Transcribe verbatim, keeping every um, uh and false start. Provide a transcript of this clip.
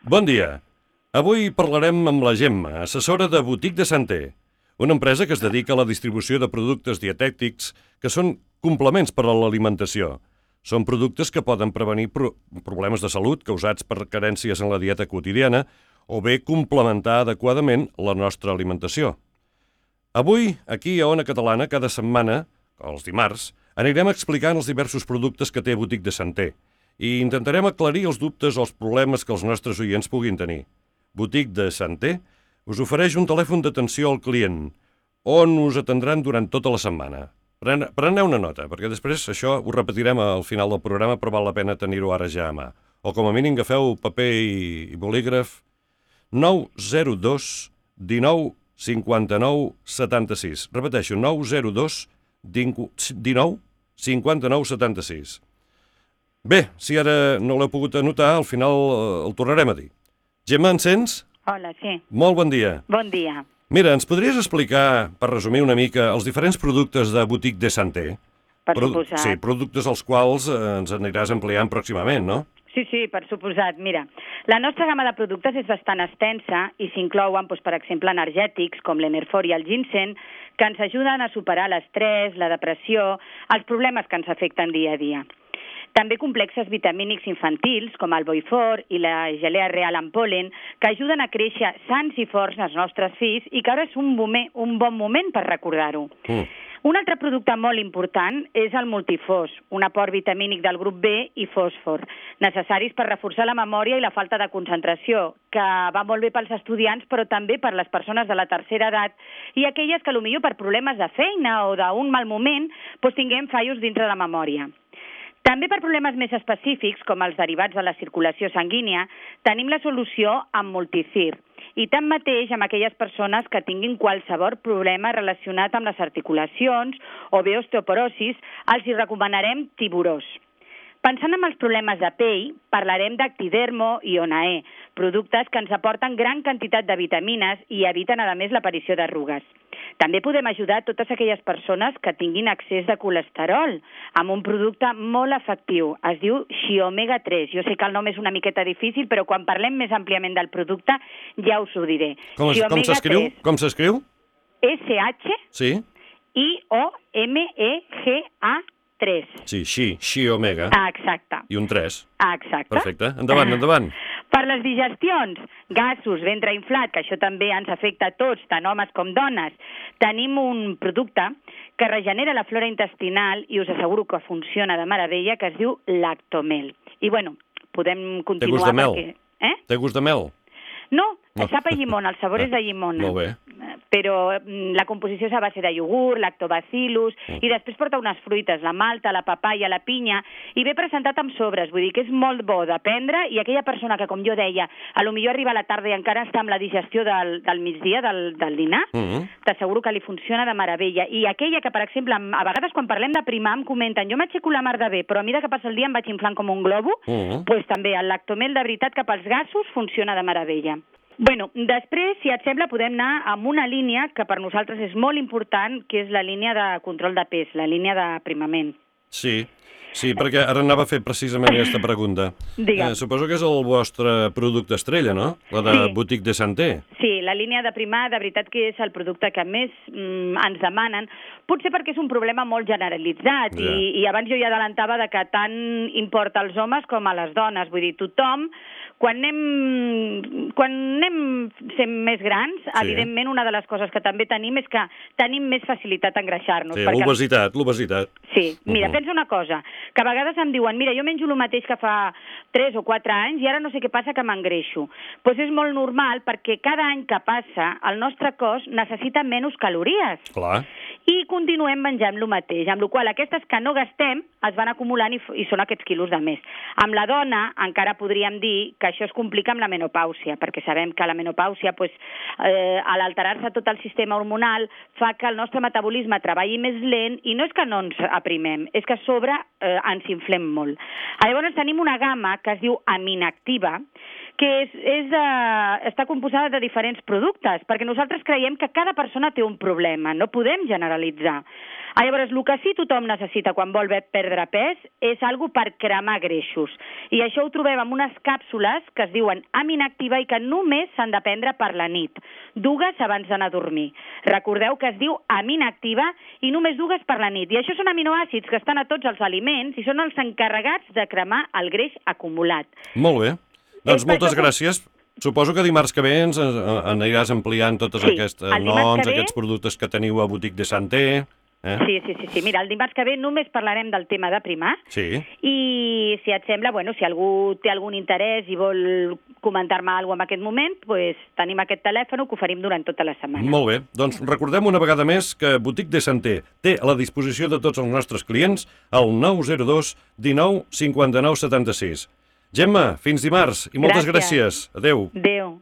Bon dia. Avui parlarem amb la Gemma, assessora de Boutique de Santé, una empresa que es dedica a la distribució de productes dietètics que són complements per a l'alimentació. Són productes que poden prevenir pro problemes de salut causats per carències en la dieta quotidiana o bé complementar adequadament la nostra alimentació. Avui, aquí a Ona Catalana, cada setmana, els dimarts, anirem explicant els diversos productes que té Boutique de Santé i intentarem aclarir els dubtes o els problemes que els nostres oients puguin tenir. Boutique de Santé us ofereix un telèfon d'atenció al client on us atendran durant tota la setmana. Pren Preneu una nota, perquè després això ho repetirem al final del programa, però val la pena tenir-ho ara ja a mà. O com a mínim agafeu paper i, i bolígraf. nou zero dos dinou cinquanta-nou setanta-sis. Repeteixo, nou zero dos dinou cinquanta-nou setanta-sis. Bé, si ara no l'heu pogut anotar, al final eh, el tornarem a dir. Gemma, ens sents? Hola, sí. Molt bon dia. Bon dia. Mira, ens podries explicar, per resumir una mica, els diferents productes de Boutique de Santé? Per Produ suposat. Sí, productes als quals eh, ens aniràs ampliant pròximament, no? Sí, sí, per suposat. Mira, la nostra gamma de productes és bastant extensa i s'inclouen, doncs, per exemple, energètics com l'Enerfor i el ginseng, que ens ajuden a superar l'estrès, la depressió, els problemes que ens afecten dia a dia. També complexes vitamínics infantils, com el Boifor i la gelea real amb pol·len, que ajuden a créixer sants i forts els nostres fills i que ara és un, moment, un bon moment per recordar-ho. Mm. Un altre producte molt important és el multifós, un aport vitamínic del grup B i fòsfor, necessaris per reforçar la memòria i la falta de concentració, que va molt bé pels estudiants, però també per les persones de la tercera edat i aquelles que potser per problemes de feina o d'un mal moment doncs tinguem fallos dintre de la memòria. També per problemes més específics, com els derivats de la circulació sanguínia, tenim la solució amb Multicir. I tanmateix, amb aquelles persones que tinguin qualsevol problema relacionat amb les articulacions o bé osteoporosis, els hi recomanarem Tiburós. Pensant en els problemes de pell, parlarem d'Actidermo i Onae, productes que ens aporten gran quantitat de vitamines i eviten, a més, l'aparició d'arrugues. També podem ajudar totes aquelles persones que tinguin excés de colesterol amb un producte molt efectiu. Es diu Xiomega tres. Jo sé que el nom és una miqueta difícil, però quan parlem més àmpliament del producte ja us ho diré. Com s'escriu? Com s'escriu? S H I O M E G A tres. Sí, Xi, Xi Omega. Ah, exacte. I un tres. Ah, exacte. Perfecte. Endavant, endavant. Per les digestions, gasos, ventre inflat, que això també ens afecta a tots, tant homes com dones, tenim un producte que regenera la flora intestinal i us asseguro que funciona de meravella, que es diu Lactomel. I, bueno, podem continuar... Té gust de mel? Perquè... Eh? Té gust de mel? No, no. Sap a llimona, el sabor és de llimona. Molt bé. Però la composició és a base de iogurt, lactobacillus, mm. i després porta unes fruites, la malta, la papaya, la pinya, i ve presentat amb sobres, vull dir que és molt bo de prendre, i aquella persona que, com jo deia, a lo millor arriba a la tarda i encara està amb la digestió del, del migdia, del, del dinar, mm. t'asseguro que li funciona de meravella. I aquella que, per exemple, a vegades quan parlem de primar em comenten, jo m'aixeco la mar de bé, però a mesura que passa el dia em vaig inflant com un globo, mm. doncs també el Lactomel de veritat que pels gasos funciona de meravella. Bueno, després, si et sembla, podem anar amb una línia que per nosaltres és molt important, que és la línia de control de pes, la línia d'aprimament. Sí, sí, perquè ara anava a fer precisament aquesta pregunta. Digue'm. Eh, suposo que és el vostre producte estrella, no? La de sí. Boutique de Santé. Sí, la línia de primar, de veritat que és el producte que més mm, ens demanen, potser perquè és un problema molt generalitzat, ja. i, i abans jo ja adelantava de que tant importa als homes com a les dones, vull dir, tothom, quan anem, quan anem sent més grans, sí. evidentment una de les coses que també tenim és que tenim més facilitat a engreixar-nos. Sí, perquè... l'obesitat, l'obesitat. Sí, mira, uh -huh. pensa una cosa, que a vegades em diuen, mira, jo menjo el mateix que fa tres o quatre anys i ara no sé què passa que m'engreixo. Doncs és molt normal perquè cada any que passa el nostre cos necessita menys calories. Clar. I continuem menjant el mateix, amb la qual cosa aquestes que no gastem es van acumulant i, i són aquests quilos de més. Amb la dona encara podríem dir que això es complica amb la menopàusia, perquè sabem que la menopàusia, pues, eh, a l'alterar-se tot el sistema hormonal, fa que el nostre metabolisme treballi més lent i no és que no ens aprimem, és que a sobre eh, ens inflem molt. Llavors tenim una gamma que es diu Aminactiva, que és, és, uh, està composada de diferents productes, perquè nosaltres creiem que cada persona té un problema, no podem generalitzar. Ah, llavors, el que sí tothom necessita quan vol perdre pes és algo per cremar greixos. I això ho trobem en unes càpsules que es diuen Aminactiva i que només s'han de prendre per la nit, dues abans d'anar a dormir. Recordeu que es diu Aminactiva i només dues per la nit. I això són aminoàcids que estan a tots els aliments i són els encarregats de cremar el greix acumulat. Molt bé. Doncs És per moltes això que- gràcies. Suposo que dimarts que ve ens eh, aniràs ampliant tots Sí, aquests el dimarts noms, que ve- aquests productes que teniu a Boutique de Santé. Eh? Sí, sí, sí, sí. Mira, el dimarts que ve només parlarem del tema de primar. Sí. I si et sembla, bueno, si algú té algun interès i vol comentar-me alguna cosa en aquest moment, pues, tenim aquest telèfon que oferim durant tota la setmana. Molt bé. Doncs recordem una vegada més que Boutique de Santé té a la disposició de tots els nostres clients el nou zero dos dinou cinquanta-nou setanta-sis. Gemma, fins dimarts i moltes gràcies. Gràcies. Adéu. Adéu.